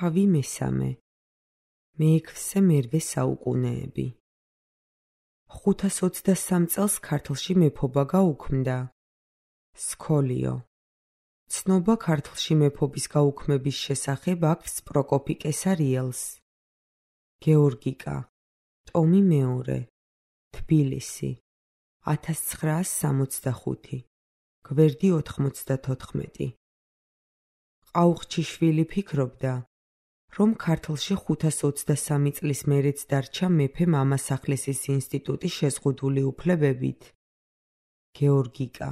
თავი მესამე. მეექვსე მერვე საუკუნეები. 523 წელს ქართლში მეფობა გაუქმდა. სქოლიო. ცნობა ქართლში მეფობის გაუქმების შესახებ აქვს პროკოფი კესარიელს. გეორგიკა. ტომი მეორე. თბილისი. 1965. გვერდი 94. ყაუხჩიშვილი ფიქრობდა, რომ ქართლში 523 წლის მერეც დარჩა მეფე მამასახლისის ინსტიტუტის შეზღუდული უფლებებით. გეორგიკა.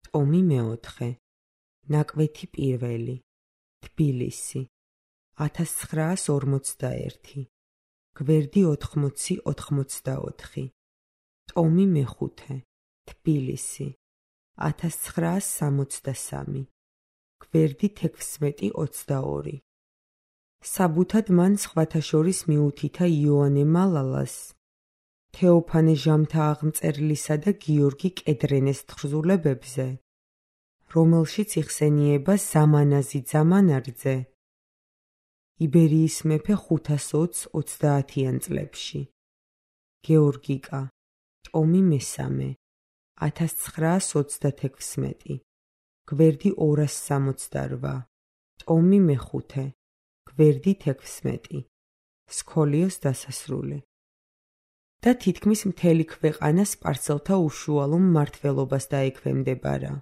ტომი მეოთხე. ნაკვეთი პირველი. თბილისი. 1941. გვერდი 80-84. ტომი მეხუთე. თბილისი. 1963. გვერდი 16-22. საბუთად მან სხვათა შორის მიუთითა იოანე მალალას, თეოფანე ჟამთააღმწერლისა და გიორგი კედრენეს თხზულებებზე, რომელშიც იხსენიება ზამანაზი ძამანარძე, იბერიის მეფე 520-30 წლებში. გეორგიკა. ტომი მესამე. 1936. გვერდი 268. ტომი მეხუთე. გვერდი 16. სქოლიოს დასასრული. და თითქმის მთელი ქვეყანა სპარსელთა უშუალო მმართველობას დაექვემდებარა.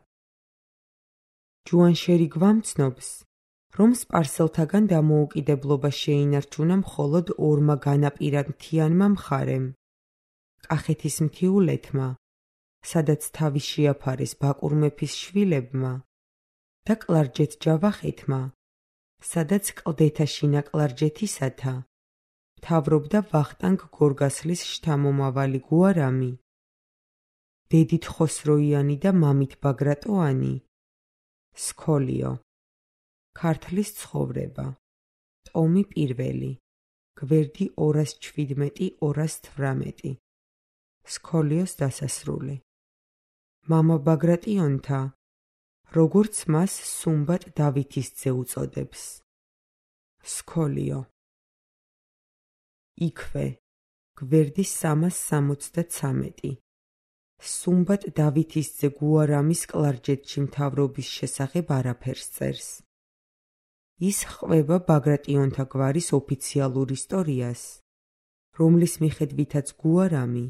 ჯუანშერი გვამცნობს, რომ სპარსელთაგან დამოუკიდებლობა შეინარჩუნა მხოლოდ ორმა განაპირა მხარემ, კახეთის მთიულეთმა, სადაც თავი შეაფარეს ბაკურ მეფის შვილებმა, და კლარჯეთ-ჯავახეთმა, სადაც კლდეთა შინაკლარჯეთისათა მთავრობდა ვახტანგ გორგასლის შთამომავალი გუარამი, დედით ხოსროიანი და მამით ბაგრატოანი. სქოლიო. ქართლის ცხოვრება. ტომი პირველი. გვერდი 217-218. სქოლიოს დასასრული. მამა ბაგრატიონთა, როგორც მას სუმბატ დავითისძე უწოდებს. სქოლიო. იქვე. გვერდი 363. სუმბატ დავითისძე გუარამის კლარჯეთში მთავრობის შესახებ არაფერს წერს. ის ხვება ბაგრატიონთა გვარის ოფიციალურ ისტორიას, რომლის მიხედვითაც გუარამი,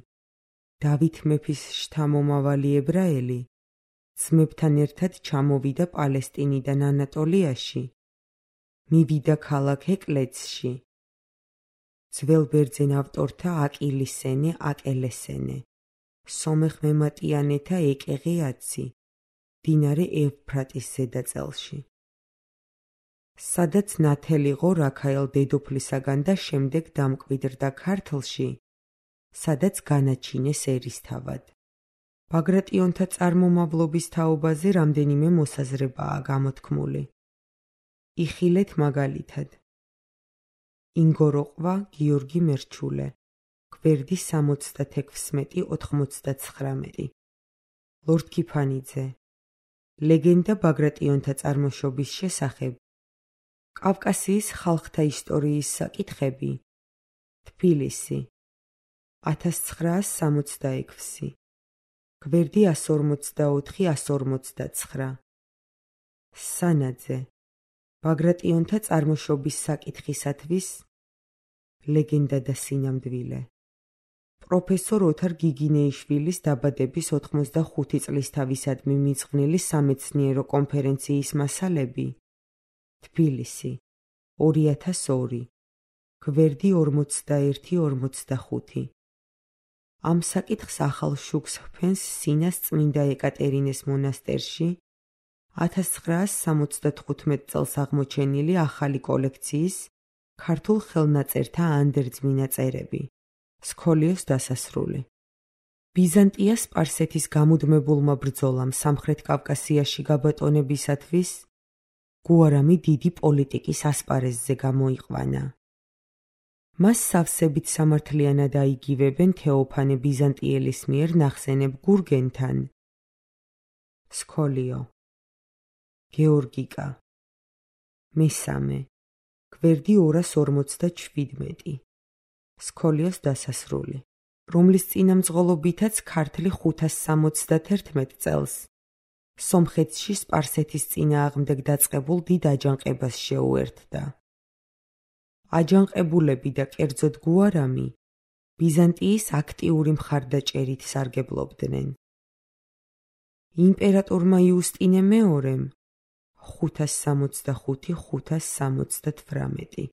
დავით მეფის შთამომავალი ებრაელი, ძმებთან ერთად ჩამოვიდა პალესტინიდან ანატოლიაში, მივიდა ქალაქ ეკლეცში. ძველ ბერძენ ავტორთა აკილისენე აკელესენე, სომეხ მემატიანეთა ეკეღეაცი, მდინარე ევფრატის ზედაწელში. სადაც ნათელიღო რაქაელ დედოფლისაგან და შემდეგ დამკვიდრდა ქართლში, სადაც განაჩინეს ერისთავად. ბაგრატიონთა წარმომავლობის თაობაზე რამდენიმე მოსაზრებაა გამოთქმული. იხილეთ მაგალითად. ინგოროყვა გიორგი მერჩულე, გვერდი 76-99. ლორდ ქიფანიძე. ლეგენდა ბაგრატიონთა წარმოშობის შესახებ. კავკასიის ხალხთა ისტორიის საკითხები. თბილისი. 1966. გვერდი 144-159. სანაძე. ბაგრატიონთა წარმოშობის საკითხისათვის ლეგენდა და სინამდვილე. პროფესორ ოთარ გიგინეიშვილის დაბადების 85 წლისთავისადმი მიძღვნილი სამეცნიერო კონფერენციის მასალები. თბილისი. 2002. გვერდი 41-45. ამ საკითხს ახალ შუქს ჰფენს სინას წმინდა ეკატერინეს მონასტერში 1975 წელს აღმოჩენილი ახალი კოლექციის ქართულ ხელნაწერთა ანდერძმინა წერები. სქოლიოს დასასრული. ბიზანტია სპარსეთის გამუდმებულმა ბრძოლამ სამხრეთ კავკასიაში გაბატონებისათვის გუარამი დიდი პოლიტიკის ასპარეზზე გამოიყვანა. მას სავსებით სამართლიანად აიგივებენ თეოფანე ბიზანტიელის მიერ ნახსენებ გურგენთან. სქოლიო. გეორგიკა. მესამე. გვერდი 247. სქოლიოს დასასრული, რომლის წინამძღოლობითაც ქართლი 571 წელს სომხეთში სპარსეთის წინააღმდეგ დაწყებულ დიდ აჯანყებას შეუერთდა. აჯანყებულები და კერძოდ გუარამი ბიზანტიის აქტიური მხარდაჭერით სარგებლობდნენ. იმპერატორმა იუსტინე მეორემ 565-578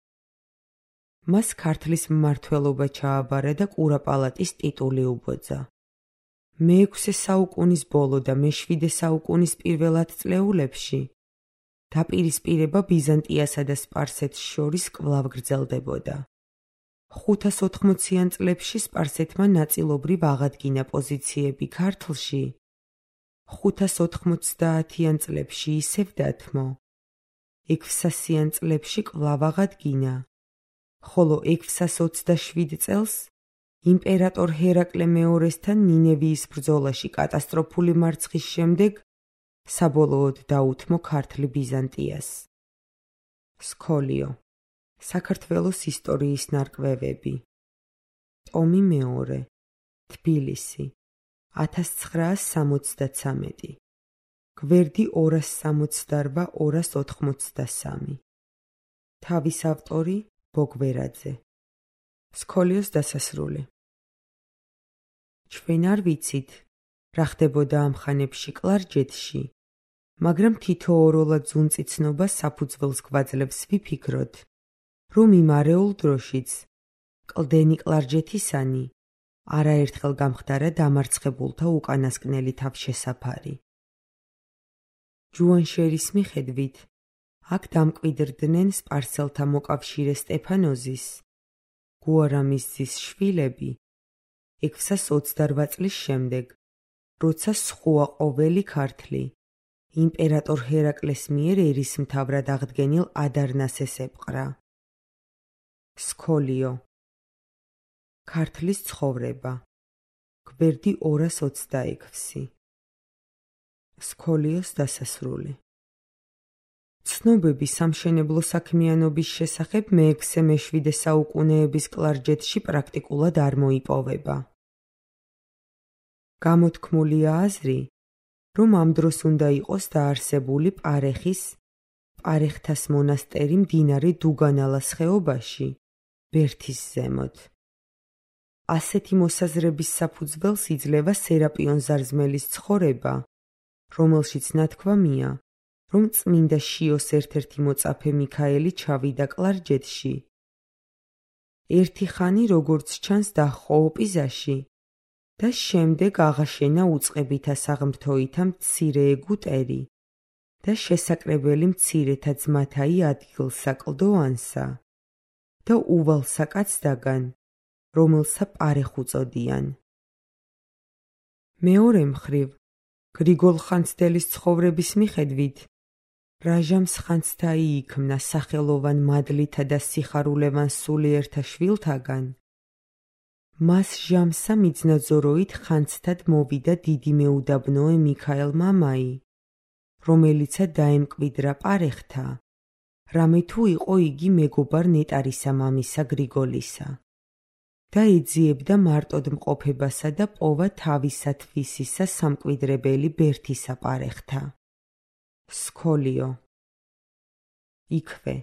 მას ქართლის მმართველობა ჩააბარა და კურაპალატის ტიტული უბოძა. მე-6 საუკუნის ბოლო და მე-7 საუკუნის პირველ ათწლეულებში დაპირისპირება ბიზანტიასა და სპარსეთს შორის კვლავ გრძელდებოდა. 580-იან წლებში სპარსეთმა ნაწილობრივ აღადგინა პოზიციები ქართლში, 590-იან წლებში ისევ დათმო, 600-იან წლებში კვლავ აღადგინა, ხოლო 627 წელს იმპერატორ ჰერაკლე მეორესთან ნინევიის ბრძოლაში კატასტროფული მარცხის შემდეგ საბოლოოდ დაუთმო ქართლი ბიზანტიას. სქოლიო, საქართველოს ისტორიის ნარკვევები, ტომი მეორე, თბილისი, 1973, გვერდი 268-283. თავის ავტორი ბოგვერაძე. სქოლიოს დასასრული. ჩვენ არ ვიცით, რა ხდებოდა ამ ხანებში კლარჯეთში, მაგრამ თითოეულა ძუნწიცნობა საფუძველს გვაძლევს ვიფიქროთ, რომ იმ არეულ დროშიც კლდენი კლარჯეთისანი არაერთხელ გამხდარა დამარცხებულთა უკანასკნელი თავშესაფარი. ჯუანშერის მიხედვით, აქ დამკვიდრდნენ სპარსელთა მოკავშირე სტეფანოზის, გუარამის ძის შვილები 628 წლის შემდეგ, როცა სხვა ყოველი ქართლი იმპერატორ ჰერაკლეს მიერ ერისმთავრად აღდგენილ ადარნასეს ეპყრა. სქოლიო, ქართლის ცხოვრება, გვერდი 226. სქოლიოს დასასრული. ცნობები სამშენებლო საქმიანობის შესახებ მე-6-მე-7 საუკუნეების კლარჯეთში პრაქტიკულად არ მოიპოვება. გამოთქმულია აზრი, რომ ამ დროს უნდა იყოს დაარსებული პარეხთას მონასტერი მდინარე დუგანალას ხეობაში, ბერთის ზემოთ. ასეთი მოსაზრების საფუძველს იძლევა სერაპიონ ზარზმელის ცხოვრება, რომელშიც ნათქვამია, რომ წმინდა შიოს ერთ-ერთი მოწაფე მიქაელი ჩავიდა კლარჯეთში. ერთი ხანი, როგორც ჩანს, დაჰყო ოპიზაში და შემდეგ აღაშენა უწყებითა საღმრთოითა მცირე ეგვტერი და შესაკრებელი მცირეთა ძმათაი ადგილსაკლდოანსა და უვალსაკაცდაგან, რომელსა პარეხ უწოდიან. მეორე მხრივ, გრიგოლ ხანძთელის ცხოვრების მიხედვით, რაჟამს ხანძთაი იქმნა სახელოვან მადლითა და სიხარულევან სულიერთა შვილთაგან, მას ჟამსა მიძნაძოროით ხანძთად მოვიდა დიდი მეუდაბნოე მიქაელ მამაი, რომელიცა დაემკვიდრა პარეხთა, რამე თუ იყო იგი მეგობარ ნეტარისა მამისა გრიგოლისა და ეძიებდა მარტოდ მყოფებასა და პოვა თავისათვისისა სამკვიდრებელი ბერთისა პარეხთა. სქოლიო, იქვე,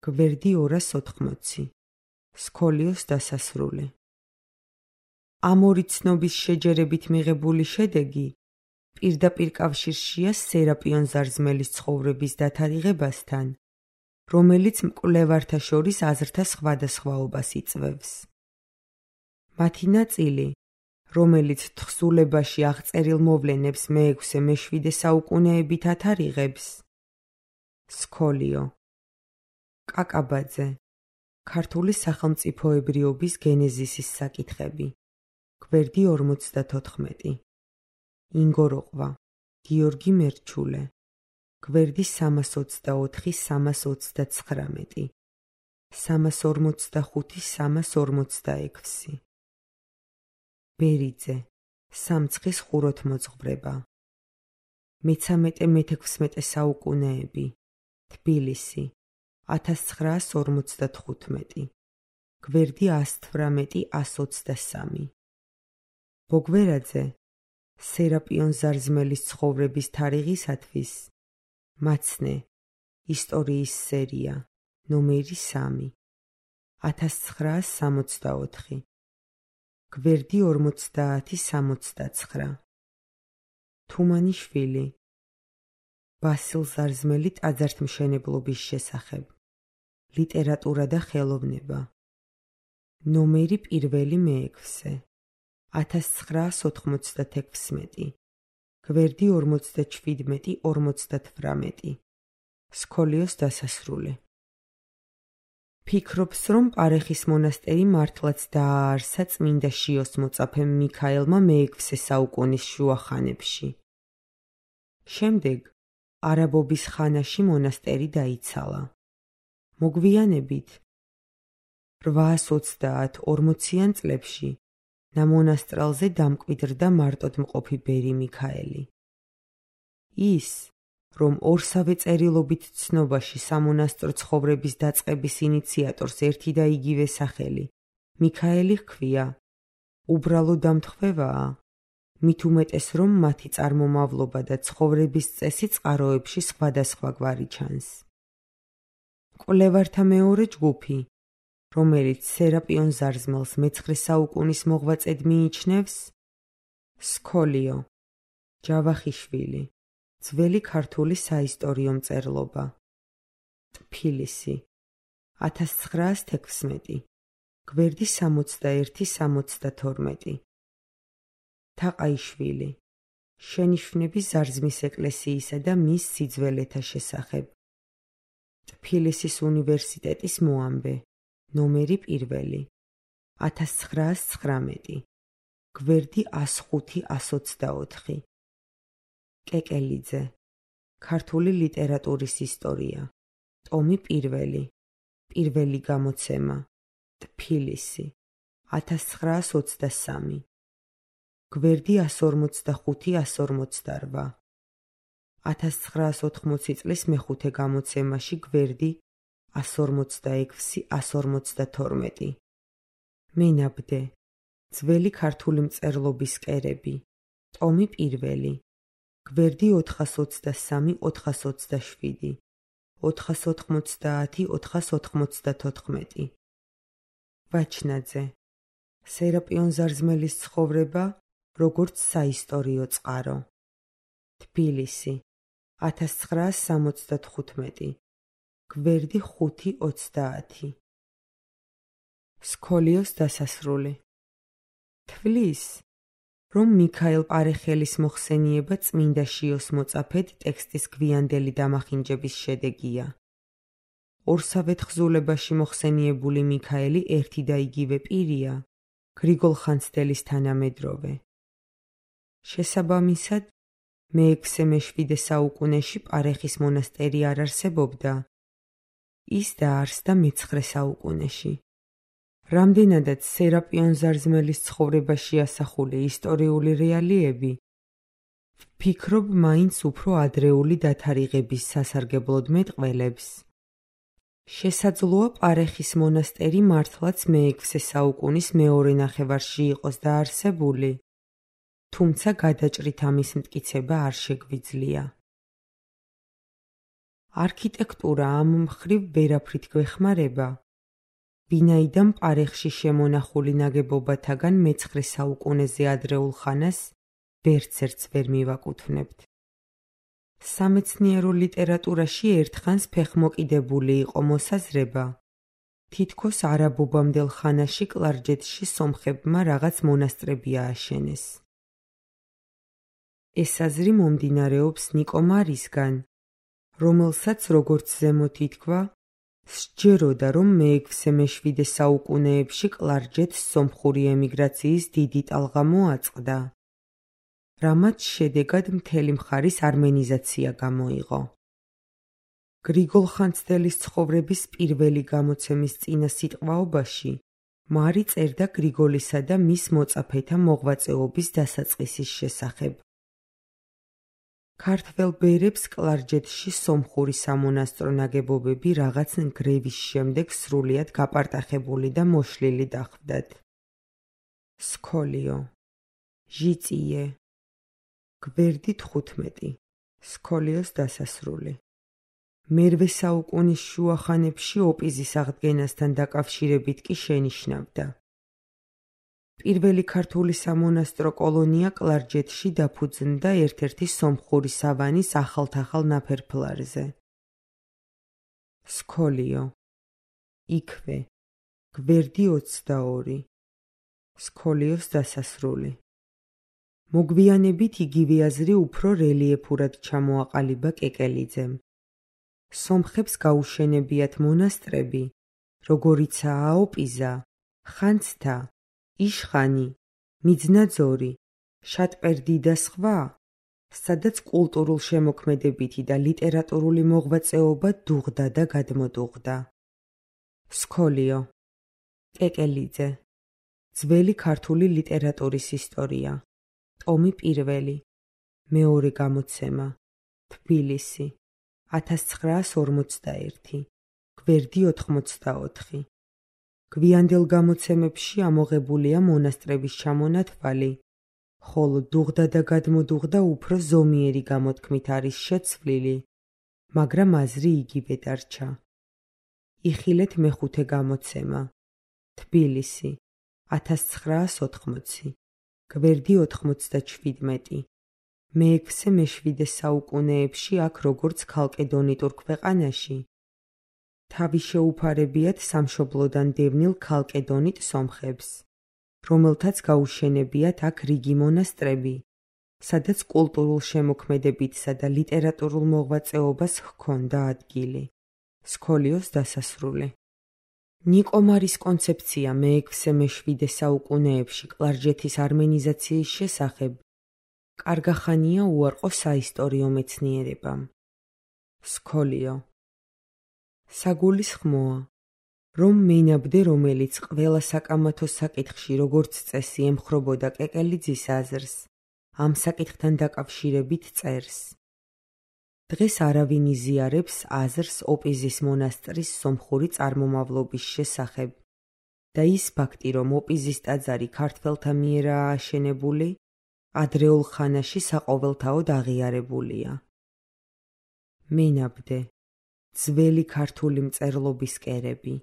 გვერდი 280. სქოლიოს დასასრული. ამ ორი ცნობის შეჯერებით მიღებული შედეგი პირდაპირ კავშირშია სერაპიონ ზარზმელის ცხოვრების დათარიღებასთან, რომელიც მკვლევართა შორის აზრთა სხვადასხვაობას იწვევს. მათი ნაწილი, რომელიც თხზულებაში აღწერილ მოვლენებს მე-6-მე-7 საუკუნეებით ათარიღებს. სქოლიო, კაკაბაძე, ქართული სახელმწიფოებრიობის გენეზისის საკითხები, გვერდი 54. ინგოროყვა, გიორგი მერჩულე, გვერდი 324-329, 345-346. ბერიძე, სამცხის ხუროთმოძღვრება, მე-13-მე-16 საუკუნეები, თბილისი, 1955, გვერდი 118-123. ბოგვერაძე სერაპიონ ზარზმელის ცხოვრების თარიღისათვის მაცნე ისტორიის სერია ნომერი 3 1964 გვერდი 50-69. თუმანიშვილი ბასილ ზარზმელი ტაძართმშენებლობის შესახებ ლიტერატურა და ხელოვნება ნომერი 1 მე-6 1996 გვერდი 47-58. სქოლიოს დასასრული. ფიქრობს, რომ პარეხის მონასტერი მართლაც დააარსა წმინდა შიოს მოწაფემ მიქაელმა მე-6 საუკუნის შუა ხანებში. შემდეგ არაბობის ხანაში მონასტერი დაიცალა. მოგვიანებით 830-40-იან წლებში ნამონასტრალზე დამკვიდრდა მარტოდმყოფი ბერი მიქაელი. ის, რომ ორსავე წერილობით ცნობაში სამონასტრო ცხოვრების დაწყების ინიციატორს ერთი და იგივე სახელი მიქაელი ჰქვია, უბრალო დამთხვევაა, მით უმეტეს რომ მათი წარმომავლობა და ცხოვრების წესი წყაროებში სხვადასხვაგვარი ჩანს. კვლევართა მეორე ჯგუფი, რომელიც სერაპიონ ზარზმელს მე-9 საუკუნის მოღვაწედ მიიჩნევს, სქოლიო, ჯავახიშვილი, ძველი ქართული საისტორიო მწერლობა, ტფილისი, 1916, გვერდი 61-72. თაყაიშვილი, შენიშვნები ზარზმის ეკლესიისა და მის სიძველეთა შესახებ, ტფილისის უნივერსიტეტის მოამბე, ნომერი 1, 1919, გვერდი 105-124. კეკელიძე, ქართული ლიტერატურის ისტორია, ტომი 1, პირველი გამოცემა, ტფილისი, 1923, გვერდი 145-148. 1980 წლის მე-5 გამოცემაში გვერდი 146-152. მენაბდე, ძველი ქართული მწერლობის კერები, ტომი 1, გვერდი 423-427, 490-494. ვაჩნაძე, სერაპიონ ზარზმელის ცხოვრება, როგორც საისტორიო წყარო. თბილისი, 1975, გვერდი 5-30. სქოლიოს დასასრული. თვლის, რომ მიქაელ პარეხელის მოხსენიება წმინდა შიოს მოწაფედ ტექსტის გვიანდელი დამახინჯების შედეგია. ორსავე თხზულებაში მოხსენიებული მიქაელი ერთი და იგივე პირია, გრიგოლ ხანძთელის თანამედროვე. შესაბამისად, მე-6-მე-7 საუკუნეში პარეხის მონასტერი არ არსებობდა. ის დაარსდა მე-9 საუკუნეში. რამდენადაც სერაპიონ ზარზმელის ცხოვრებაში ასახული ისტორიული რეალიები, ვფიქრობ მაინც უფრო ადრეული დათარიღების სასარგებლოდ მეტყველებს. შესაძლოა პარეხის მონასტერი მართლაც მე-6 საუკუნის მეორე ნახევარში იყოს დაარსებული, თუმცა გადაჭრით ამის მტკიცება არ შეგვიძლია. არქიტექტურა ამ მხრივ ვერაფრით გვეხმარება, ვინაიდან პარეხში შემონახული ნაგებობათაგან მე-9 საუკუნეზე ადრეულ ხანას ვერცერთს ვერ მივაკუთვნებთ. სამეცნიერო ლიტერატურაში ერთხანს ფეხმოკიდებული იყო მოსაზრება, თითქოს არაბობამდელ ხანაში კლარჯეთში სომხებმა რაღაც მონასტრები ააშენეს. ეს აზრი მომდინარეობს ნიკო მარისგან, რომელსაც, როგორც ზემოთ ითქვა, სჯეროდა, რომ მე-6-მე-7 საუკუნეებში კლარჯეთს სომხური ემიგრაციის დიდი ტალღა მოაწყდა, რამაც შედეგად მთელი მხარის არმენიზაცია გამოიღო. გრიგოლ ხანძთელის ცხოვრების პირველი გამოცემის წინა სიტყვაობაში მარი წერდა გრიგოლისა და მის მოწაფეთა მოღვაწეობის დასაწყისის შესახებ. ქართველ ბერებს კლარჯეთში სომხური სამონასტრო ნაგებობები რაღაც ნგრევის შემდეგ სრულიად გაპარტახებული და მოშლილი დახვდათ. სქოლიო ჟიწიე გვერდი 15 სქოლიოს დასასრული. მერვე საუკუნის შუა ხანებში ოპიზის აღდგენასთან დაკავშირებით კი შენიშნავდა. პირველი ქართული სამონასტრო კოლონია კლარჯეთში დაფუძნდა ერთ-ერთი სომხური სავანის ახალ-თახალ ნაფერფლარზე. სქოლიო იქვე გვერდი 22 სქოლიოს დასასრული. მოგვიანებით იგივე აზრი უფრო რელიეფურად ჩამოაყალიბა კეკელიძემ. სომხებს გაუშენებიათ მონასტრები, როგორიცაა ოპიზა, ხანძთა, იშხანი, მიძნაძორი, შატპერდი და სხვა, სადაც კულტურულ შემოქმედებითი და ლიტერატურული მოღვაწეობა დუღდა და გადმოდუღდა. სქოლიო კეკელიძე ძველი ქართული ლიტერატურის ისტორია ტომი 1 მეორე გამოცემა თბილისი 1941 გვერდი 84. გვიანდელ გამოცემებში ამოღებულია მონასტრების ჩამონათვალი, ხოლო დუღდა და გადმოდუღდა უფრო ზომიერი გამოთქმით არის შეცვლილი, მაგრამ აზრი იგივე დარჩა. იხილეთ მეხუთე გამოცემა თბილისი 1980 გვერდი 97. მეექვსე მეშვიდე საუკუნეებში აქ როგორც ქალკედონიტურ ქვეყანაში თავი შეუფარებიათ სამშობლოდან დევნილ ქალკედონიტ სომხებს, რომელთაც გაუშენებიათ აქ რიგი მონასტრები, სადაც კულტურულ შემოქმედებითსა და ლიტერატურულ მოღვაწეობას ჰქონდა ადგილი. სქოლიოს დასასრული. ნიკომარის კონცეფცია მეექვსე-მეშვიდე საუკუნეებში კლარჯეთის არმენიზაციის შესახებ კარგახანია უარყო საისტორიო მეცნიერებამ. სქოლიო საგულისხმოა, რომ მენაბდე, რომელიც ყველა საკამათო საკითხში როგორც წესი ემხრობოდა კეკელიძის აზრს, ამ საკითხთან დაკავშირებით წერს. დღეს არავინ იზიარებს აზრს ოპიზის მონასტრის სომხური წარმომავლობის შესახებ და ის ფაქტი, რომ ოპიზის ტაძარი ქართველთა მიერაა აშენებული, ადრეულ ხანაში საყოველთაოდ აღიარებულია. მენაბდე ძველი ქართული მწერლობის კერები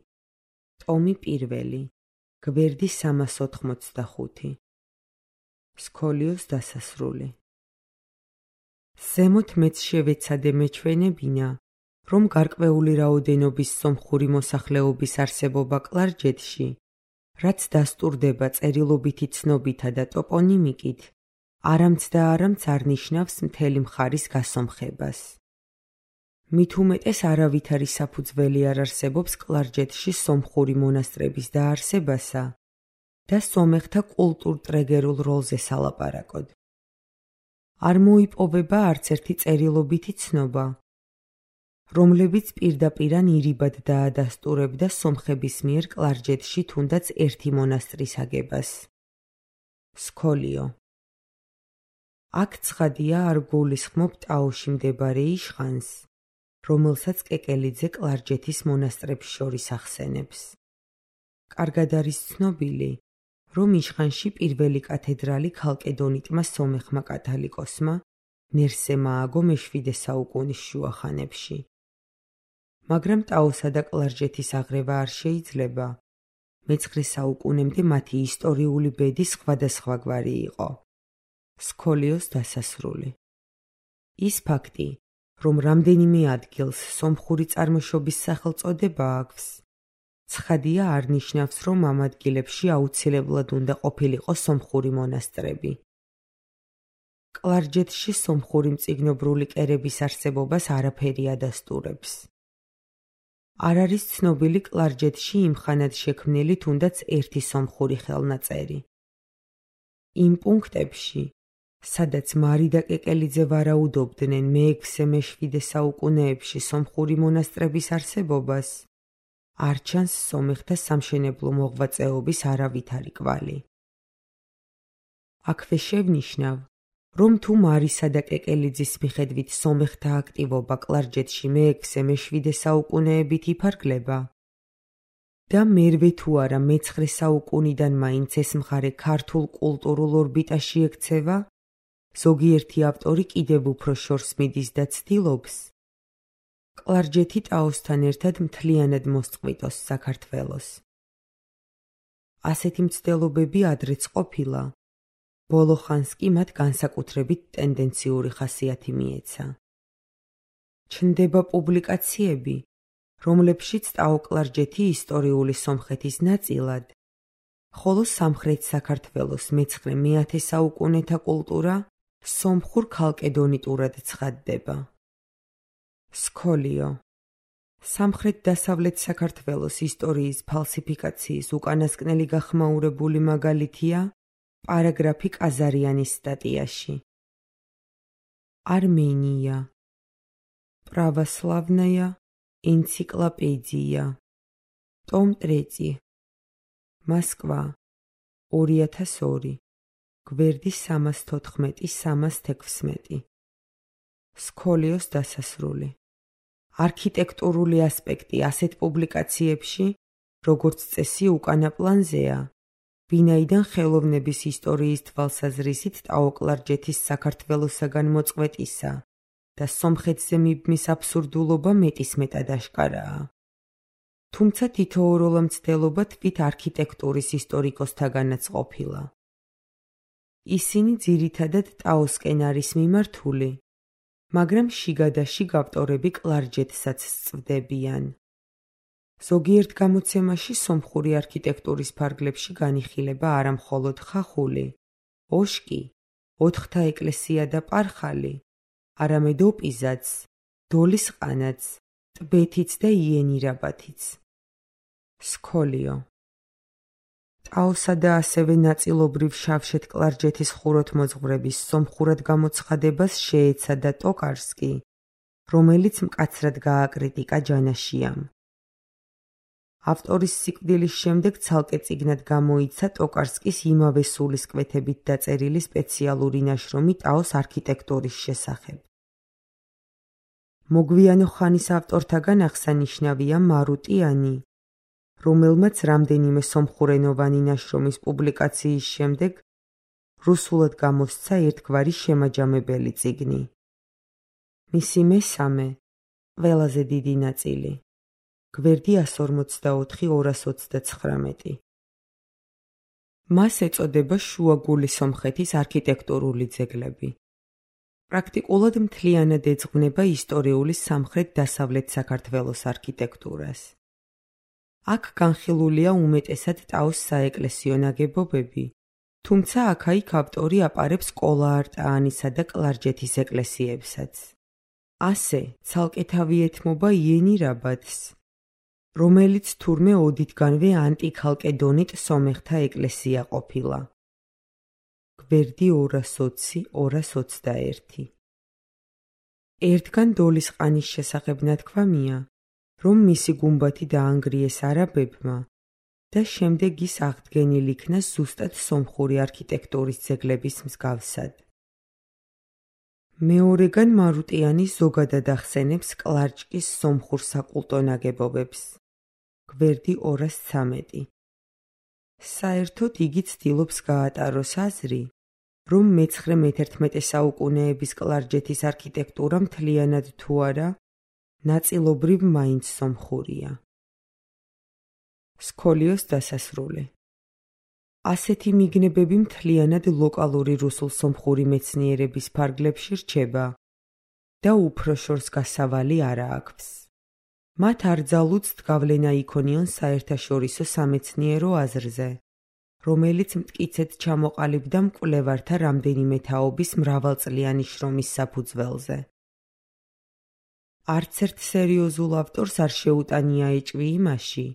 ტომი 1 გვერდი 385 სქოლიოს დასასრული. ზემოთ მეც შევეცადე მეჩვენებინა, რომ გარკვეული რაოდენობის სომხური მოსახლეობის არსებობა კლარჯეთში, რაც დასტურდება წერილობითი ცნობითა და ტოპონიმიკით, არამც და არამც არ ნიშნავს მთელი მხარის გასომხებას. მით უმეტეს არავითარი საფუძველი არ არსებობს კლარჯეთში სომხური მონასტრების დაარსებასა და სომეხთა კულტურ-ტრეგერულ როლზე სალაპარაკოდ. არ მოიპოვება არც ერთი წერილობითი ცნობა, რომლებიც პირდაპირ ირიბად დაადასტურებდა სომხების მიერ კლარჯეთში თუნდაც ერთი მონასტრის აგებას. სქოლიო აქ ცხადია არ გულისხმობ ტაოში მდებარე იშხანს, რომელსაც კეკელიძე კლარჯეთის მონასტრებს შორის ახსენებს. კარგად არის ცნობილი, რომ იშხანში პირველი კათედრალი ქალკედონიტმა სომეხმა კათალიკოსმა ნერსემ ააგო მეშვიდე საუკუნის შუა ხანებში. მაგრამ ტაოსა და კლარჯეთის აღრევა არ შეიძლება. მე-9 საუკუნემდე მათი ისტორიული ბედი სხვადასხვაგვარი იყო. სქოლიოს დასასრული. ის ფაქტი, რომ რამდენიმე ადგილს სომხური წარმოშობის სახელწოდება აქვს, ცხადია არ ნიშნავს, რომ ამ ადგილებში აუცილებლად უნდა ყოფილიყო სომხური მონასტრები. კლარჯეთში სომხური მწიგნობრული კერების არსებობას არაფერი ადასტურებს. არ არის ცნობილი კლარჯეთში იმხანად შექმნილი თუნდაც ერთი სომხური ხელნაწერი. იმ პუნქტებში, სადაც მარი და კეკელიძე ვარაუდობდნენ მე-6-მე-7 საუკუნეებში სომხური მონასტრების არსებობას, არ ჩანს სომეხთა სამშენებლო მოღვაწეობის არავითარი კვალი. აქვე შევნიშნავ, რომ თუ მარისა და კეკელიძის მიხედვით სომეხთა აქტივობა კლარჯეთში მე-6, მე-7 საუკუნეებით იფარგლება და მერვე თუ არა მე-9 საუკუნიდან მაინც ეს მხარე ქართულ კულტურულ ორბიტაში ექცევა, ზოგიერთი ავტორი კიდევ უფრო შორს მიდის და ცდილობს კლარჯეთი ტაოსთან ერთად მთლიანად მოსწყვიტოს საქართველოს. ასეთი მცდელობები ადრეც ყოფილა, ბოლო ხანს კი მათ განსაკუთრებით ტენდენციური ხასიათი მიეცა. ჩნდება პუბლიკაციები, რომლებშიც ტაო-კლარჯეთი ისტორიული სომხეთის ნაწილად, ხოლო სამხრეთ საქართველოს მე-9-მე-10 საუკუნეთა კულტურა სომხურ ქალკედონიტურად ცხადდება. სქოლიო. სამხრეთ-დასავლეთ საქართველოს ისტორიის ფალსიფიკაციის უკანასკნელი გახმაურებული მაგალითია პარაგრაფი კაზარიანის სტატიაში. Armenia. Православная энциклопедия. Том 3. Москва. 2002. გვერდი 314-316. სქოლიოს დასასრული. არქიტექტურული ასპექტი ასეთ პუბლიკაციებში, როგორც წესი, უკანა პლანზეა, ვინაიდან ხელოვნების ისტორიის თვალსაზრისით ტაო-კლარჯეთის საქართველოსაგან მოწყვეტისა და სომხეთზე მიბმის აბსურდულობა მეტისმეტად აშკარაა. თუმცა თითოეულა მცდელობა თვით არქიტექტურის ისტორიკოსთაგანაც ყოფილა. ისინი ძირითადად ტაოსკენ არის მიმართული, მაგრამ შიგა და შიგ ავტორები კლარჯეთსაც სწვდებიან. ზოგიერთ გამოცემაში სომხური არქიტექტურის ფარგლებში განიხილება არა მხოლოდ ხახული, ოშკი, ოთხთა ეკლესია და პარხალი, არამედ ოპიზაც, დოლის ყანაც, ტბეთიც და იენირაბათიც. სქოლიო. ტაოსა და ასევე ნაწილობრივ შავშეთ კლარჯეთის ხუროთმოძღვრების სომხურად გამოცხადებას შეეცადა ტოკარსკი, რომელიც მკაცრად გააკრიტიკა ჯანაშიამ. ავტორის სიკვდილის შემდეგ ცალკე წიგნად გამოიცა ტოკარსკის იმავე სულისკვეთებით დაწერილი სპეციალური ნაშრომი ტაოს არქიტექტურის შესახებ. მოგვიანო ხანის ავტორთაგან აღსანიშნავია მარუტიანი, რომელმაც რამდენიმე სომხურენოვანი ნაშრომის პუბლიკაციის შემდეგ რუსულად გამოსცა ერთგვარი შემაჯამებელი წიგნი. მისი მესამე, ყველაზე დიდი ნაწილი. გვერდი 144-229. მას ეწოდება შუაგული სომხეთის არქიტექტურული ძეგლები. პრაქტიკულად მთლიანად ეძღვნება ისტორიული სამხრეთ-დასავლეთ საქართველოს არქიტექტურას. აქ განხილულია უმეტესად ტაოს საეკლესიო ნაგებობები, თუმცა აქა-იქ ავტორი აპარებს კოლა-არტაანისა და კლარჯეთის ეკლესიებსაც. ასე, ცალკე თავი ეთმობა იენირაბადს, რომელიც თურმე ოდითგანვე ანტიქალკედონიტ სომეხთა ეკლესია ყოფილა. გვერდი 220-221. ერთგან დოლის ყანის შესახებ ნათქვამია, რომ მისი გუმბათი დაანგრიეს არაბებმა და შემდეგ ის აღდგენილ იქნა ზუსტად სომხური არქიტექტურის ძეგლების მსგავსად. მეორეგან მარუტიანი ზოგადად ახსენებს კლარჯკის სომხურ საკულტო ნაგებობებს. გვერდი 213. საერთოდ იგი ცდილობს გაატაროს აზრი, რომ მე-9-მე-11 საუკუნეების კლარჯეთის არქიტექტურა მთლიანად თუ არა, ნაწილობრივ მაინც სომხურია. სქოლიოს დასასრული. ასეთი მიგნებები მთლიანად ლოკალური რუსულ-სომხური მეცნიერების ფარგლებში რჩება და უფრო შორს გასავალი არა აქვს. მათ არძალუძთ გავლენა იქონიონ საერთაშორისო სამეცნიერო აზრზე, რომელიც მტკიცედ ჩამოყალიბდა მკვლევართა რამდენიმე თაობის მრავალწლიანი შრომის საფუძველზე. არც ერთ სერიოზულ ავტორს არ შეუტანია ეჭვი იმაში,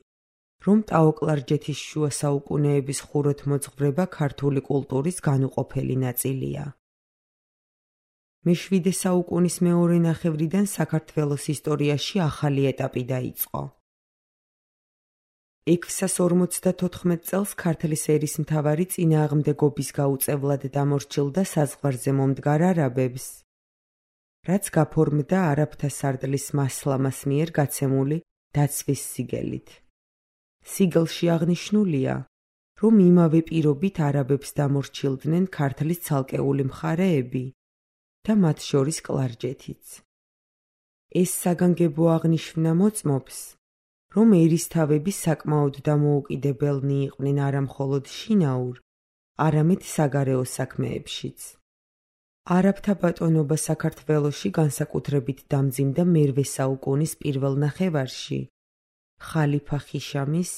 რომ ტაო-კლარჯეთის შუა საუკუნეების ხუროთმოძღვრება ქართული კულტურის განუყოფელი ნაწილია. მე-7 საუკუნის მეორე ნახევრიდან საქართველოს ისტორიაში ახალი ეტაპი დაიწყო. 644 წელს ქართლის ერისმთავარი წინააღმდეგობის გაუწევლად დამორჩილდა საზღვარზე მომდგარ არაბებს, რაც გაფორმდა არაბთა სარდლის მასლამას მიერ გაცემული დაცვის სიგელით. სიგელში აღნიშნულია, რომ იმავე პირობით არაბებს დამორჩილდნენ ქართლის ცალკეული მხარეები და მათ შორის კლარჯეთიც. ეს საგანგებო აღნიშვნა მოწმობს, რომ ერისთავები საკმაოდ დამოუკიდებელნი იყვნენ არა მხოლოდ შინაურ, არამედ საგარეო საქმეებშიც. არაბთა ბატონობა საქართველოში განსაკუთრებით დამძიმდა მერვე საუკუნის პირველ ნახევარში, ხალიფა ხიშამის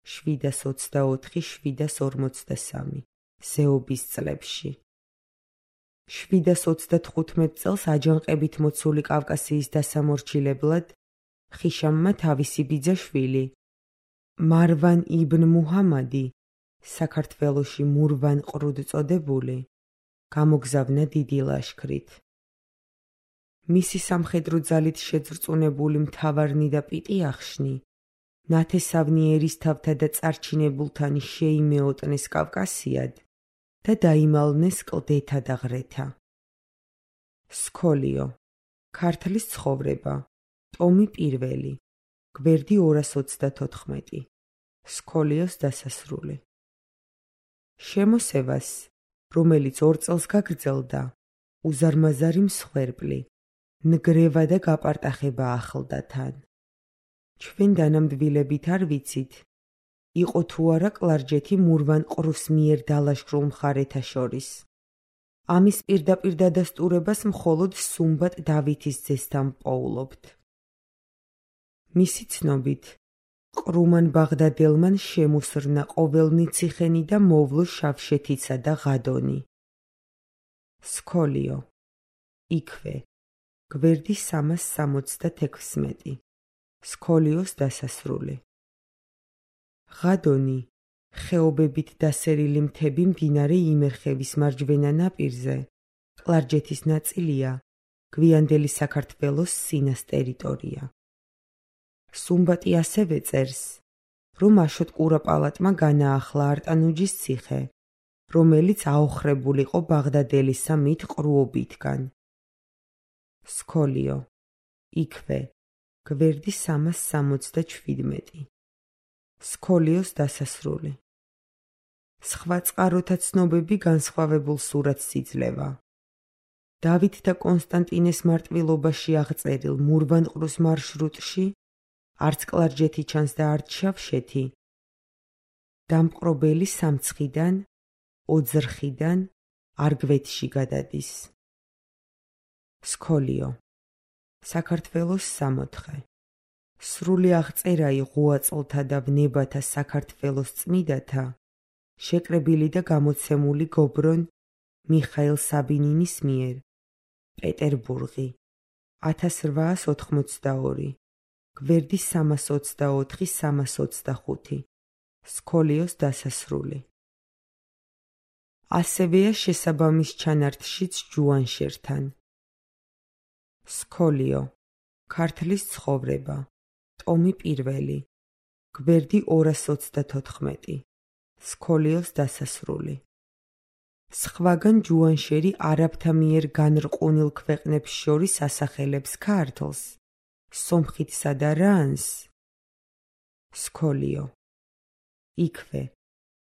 724-743 ზეობის წლებში. 735 წელს აჯანყებით მოცული კავკასიის დასამორჩილებლად ხიშამმა თავისი ბიძაშვილი მარვან იბნ მუჰამადი, საქართველოში მურვან ყრუდ წოდებული, გამოგზავნა დიდი ლაშქრით. მისი სამხედრო ძალით შეძრწუნებული მთავარნი და პიტიახშნი ნათესავნი ერისთავთა და წარჩინებულთან შეიმეოტნეს კავკასიად და დაიმალნეს კლდეთა და ღრეთა. სქოლიო, ქართლის ცხოვრება, ტომი 1, გვერდი 224, სქოლიოს დასასრული. შემოსევას, რომელიც 2 წელს გაგრძელდა, უზარმაზარი მსხვერპლი, ნგრევა და გაპარტახება ახლდა თან. ჩვენ დანამდვილებით არ ვიცით, იყო თუ არა კლარჯეთი მურვან ყრუს მიერ დალაშქრულ მხარეთა შორის. ამის პირდაპირ დადასტურებას მხოლოდ სუმბატ დავითის ძესთან პოულობთ. მისი ცნობით, ყრუმან ბაღდადილმან შემუსრნა ყოველნი ციხენი და მოვლო შავშეთიცა და ღადონი. სქოლიო, იქვე, გვერდი 366, სქოლიოს დასასრული. ღადონი, ხეობებით დასერილი მთები მდინარე იმერხევის მარჯვენა ნაპირზე, კლარჯეთის ნაწილია, გვიანდელი საქართველოს სინას ტერიტორია. სუმბატი ასევე წერს, რომ აშოტ კურაპალატმა განაახლა არტანუჯის ციხე, რომელიც აოხრებულიყო ბაღდადელისა მით ყრუობითგან. სქოლიო, იქვე, გვერდი 367, სქოლიოს დასასრული. სხვა წყაროთა ცნობები განსხვავებულ სურათს იძლევა. დავით და კონსტანტინეს მარტვილობაში აღწერილ მურვან ყრუს მარშრუტში არც კლარჯეთი ჩანს და არც შავშეთი, დამპყრობელი სამცხიდან, ოძრხიდან, არგვეთში გადადის. სქოლიო, საქართველოს 64, სრული აღწერა ღვაწლთა და ვნებათა საქართველოს წმიდათა, შეკრებილი და გამოცემული გობრონ მიხაილ საბინინის მიერ, პეტერბურგი, 1882, გვერდი 324-325, სქოლიოს დასასრული. ასევეა შესაბამის ჩანართშიც ჯუანშერთან. სქოლიო, ქართლის ცხოვრება, ტომი 1, გვერდი 224, სქოლიოს დასასრული. სხვაგან ჯუანშერი არაბთა მიერ განრყუნილ ქვეყნებს შორის ასახელებს ქართლს, სომხითსა და რანს. სქოლიო, იქვე,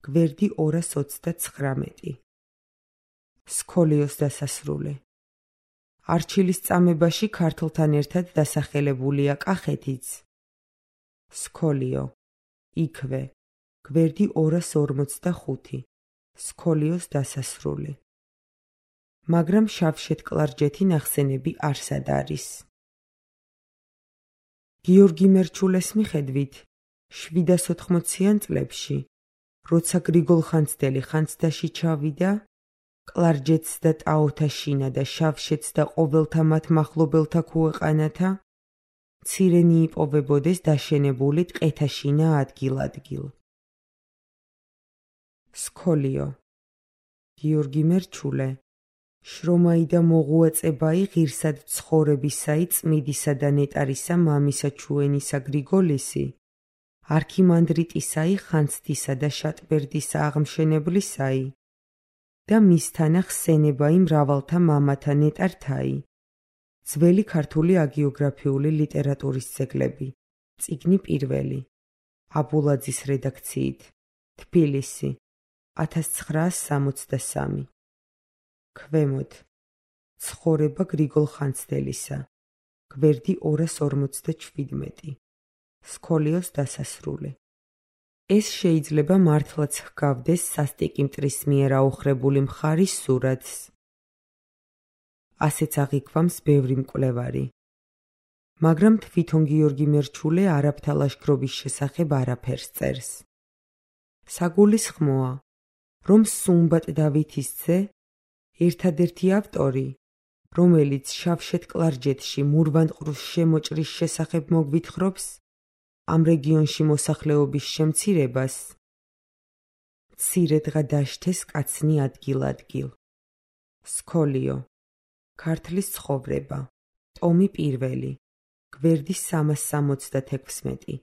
გვერდი 229, სქოლიოს დასასრული. არჩილის წამებაში ქართლთან ერთად დასახელებულია კახეთიც. სქოლიო, იქვე, გვერდი 245, სქოლიოს დასასრული. მაგრამ შავშეთ-კლარჯეთი ნახსენები არსად არის. გიორგი მერჩულეს მიხედვით, 780-იან წლებში, როცა გრიგოლ ხანძთელი ხანძთაში ჩავიდა, კლარჯეთს და ტაოთა შინა და შავშეთს და ყოველთა მათ მახლობელთა ქუეყანათა, მცირენი იპოვებოდეს დაშენებული ტყეთა შინა ადგილ-ადგილ. სქოლიო, გიორგი მერჩულე, შრომაი და მოღვაწებაი ღირსად ცხოვრებისაი წმიდისა და ნეტარისა მამისა ჩუენისა გრიგოლისი, არქიმანდრიტისაი ხანძთისა და შატბერდისა აღმშენებლისაი და მისთანა ხსენებაი მრავალთა მამათა ნეტართაი. ძველი ქართული აგიოგრაფიული ლიტერატურის ძეგლები. წიგნი პირველი. აბულაძის რედაქციით. თბილისი. 1963. ქვემოთ. ცხოვრება გრიგოლ ხანძთელისა. გვერდი 247. სქოლიოს დასასრული. ეს შეიძლება მართლაც ჰგავდეს სასტიკი მტრის მიერ აოხრებული მხარის სურათს. ასეც აღიქვამს ბევრი მკვლევარი. მაგრამ თვითონ გიორგი მერჩულე არაბთა ლაშქრობის შესახებ არაფერს წერს. საგულისხმოა, რომ სუმბატ დავითის ძე, ერთადერთი ავტორი, რომელიც შავშეთ კლარჯეთში მურვანყრუს შემოჭრის შესახებ მოგვითხრობს, ამ რეგიონში მოსახლეობის შემცირებას, მცირედღა დაშთეს კაცნი ადგილ-ადგილ. სქოლიო. ქართლის ცხოვრება. ტომი პირველი. გვერდი 366.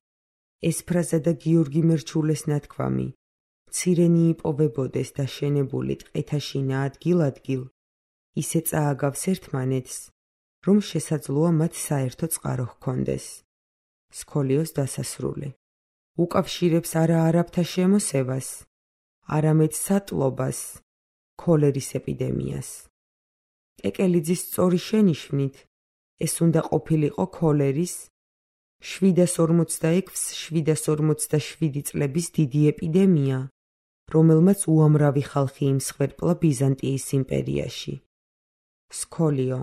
ეს ფრაზა და გიორგი მერჩულეს ნათქვამი, მცირენი იპოვებოდეს და შენებული ტყეთაშინა ადგილ-ადგილ, ისე წააგავს ერთმანეთს, რომ შესაძლოა მათ საერთო წყარო ჰქონდეს. სქოლიოს დასასრული. უკავშირებს არა არაბთა შემოსევას, არამედ სატლობას, ქოლერის ეპიდემიას. კეკელიძის სწორი შენიშვნით, ეს უნდა ყოფილიყო ქოლერის 746-747 წლების დიდი ეპიდემია, რომელმაც უამრავი ხალხი იმსხვერპლა ბიზანტიის იმპერიაში. სქოლიო.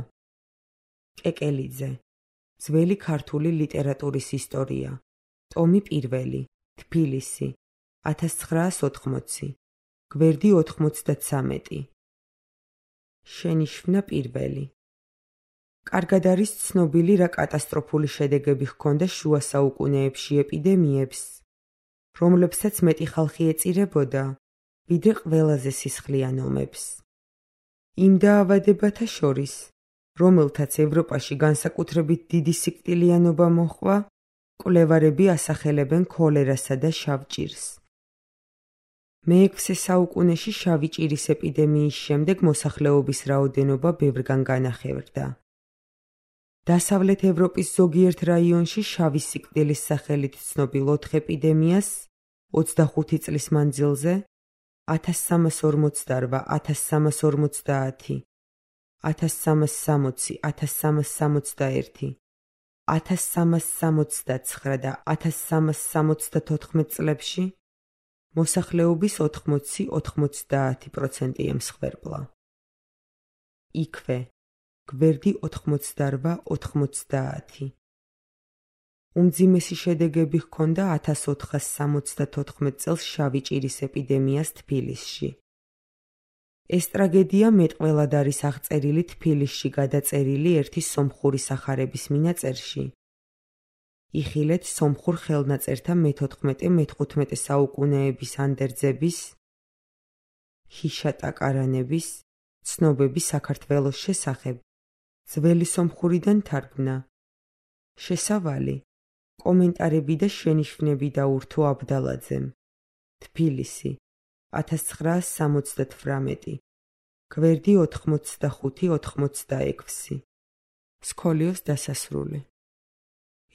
კეკელიძე. ძველი ქართული ლიტერატურის ისტორია. ტომი პირველი. თბილისი. 1980. გვერდი 93. შენიშვნა პირველი. კარგად არის ცნობილი, რა კატასტროფული შედეგები ჰქონდა შუა საუკუნეებში ეპიდემიებს, რომლებსაც მეტი ხალხი ეწირებოდა, ვიდრე ყველაზე სისხლიან ომებს. იმ დაავადებათა შორის, რომელთაც ევროპაში განსაკუთრებით დიდი სიკვდილიანობა მოჰყვა, მკვლევარები ასახელებენ ქოლერასა და შავ ჭირს. მე-6 საუკუნეში შავი ჭირის ეპიდემიის შემდეგ მოსახლეობის რაოდენობა ბევრგან განახევრდა. დასავლეთ ევროპის ზოგიერთ რაიონში შავი სიკვდილის სახელით ცნობილ 4 ეპიდემიას 25 წლის მანძილზე 1348, 1350, 1360, 1361, 1369 და 1374 წლებში მოსახლეობის 80-90% ემსხვერპლა. იქვე. გვერდი 88-90. უმძიმესი შედეგები ჰქონდა 1474 წელს შავი ჭირის ეპიდემიას თბილისში. ეს ტრაგედია მეტყველად არის აღწერილი თბილისში გადაწერილი ერთი სომხური სახარების მინაწერში. იხილეთ სომხურ ხელნაწერთა მე-14-მე-15 საუკუნეების ანდერძების, ჰიშატაკარანების, ცნობები საქართველოს შესახებ, ძველი სომხურიდან თარგმნა. შესავალი, კომენტარები და შენიშვნები დაურთო აბდალაძემ. თბილისი, 1978. გვერდი 85-86. სქოლიოს დასასრული.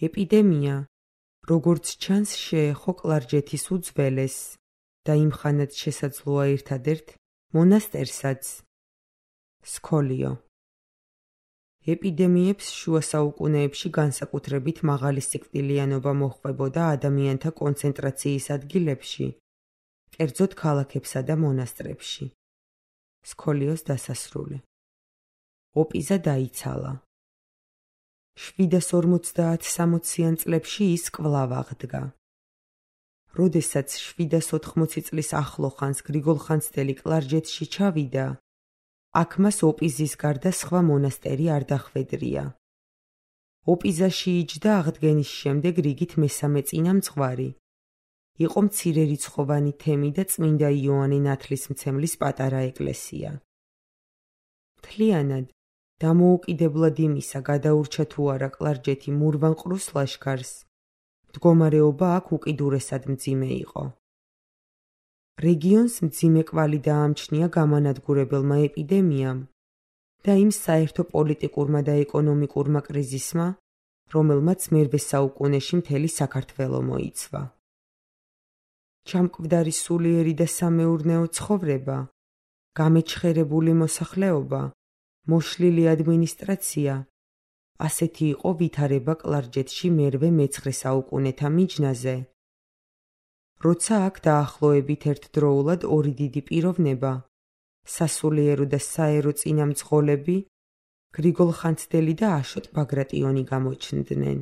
ეპიდემია, როგორც ჩანს, შეეხო კლარჯეთის უძველეს და იმხანად შესაძლოა ერთადერთ მონასტერსაც. სქოლიო. ეპიდემიებს შუა საუკუნეებში განსაკუთრებით მაღალი სიკვდილიანობა მოჰყვებოდა ადამიანთა კონცენტრაციის ადგილებში, კერძოდ ქალაქებსა და მონასტრებში. სქოლიოს დასასრული. ოპიზა დაიცალა. 750-60-იან წლებში ის კვლავ აღდგა. როდესაც 780 წლის ახლოხანს გრიგოლ ხანძთელი კლარჯეთში ჩავიდა, აქ მას ოპიზის გარდა სხვა მონასტერი არ დახვედრია. ოპიზაში იჯდა აღდგენის შემდეგ რიგით მესამე წინამძღვარი. იყო მცირერიცხოვანი თემი და წმინდა იოანე ნათლისმცემლის პატარა ეკლესია. მთლიანად, დამოუკიდებლად იმისა, გადაურჩა თუ არა კლარჯეთი მურვანყრუს ლაშქარს, მდგომარეობა აქ უკიდურესად მძიმე იყო. რეგიონს მძიმე კვალი დაამჩნია გამანადგურებელმა ეპიდემიამ და იმ საერთო პოლიტიკურმა და ეკონომიკურმა კრიზისმა, რომელმაც მერვე საუკუნეში მთელი საქართველო მოიცვა. ჩამკვდარი სულიერი და სამეურნეო ცხოვრება, გამეჩხერებული მოსახლეობა, მოშლილი ადმინისტრაცია, ასეთი იყო ვითარება კლარჯეთში მერვე მე-9 საუკუნეთა მიჯნაზე, როცა აქ დაახლოებით ერთდროულად ორი დიდი პიროვნება, სასულიერო და საერო წინამძღოლები, გრიგოლ ხანძთელი და აშოტ ბაგრატიონი გამოჩნდნენ.